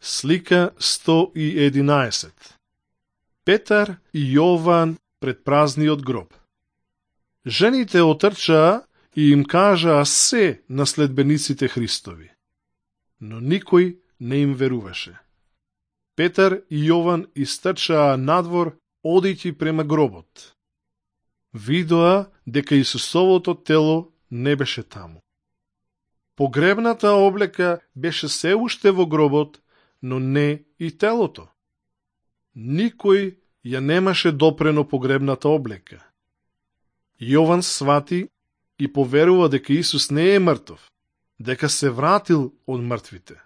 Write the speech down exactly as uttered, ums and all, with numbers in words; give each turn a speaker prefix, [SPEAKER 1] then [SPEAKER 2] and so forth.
[SPEAKER 1] Слика сто и единаесет. Петар и Јован пред празниот гроб. Жените отрчаа и им кажаа се на следбениците Христови, но никој не им веруваше. Петар и Јован истрчаа надвор, одејќи према гробот. Видоа дека Исусовото тело не беше таму. Погребната облека беше се уште во гробот, но не и телото. Никој ја немаше допрено погребната облека. Јован свати и поверува дека Исус не е мртов, дека се вратил од мртвите.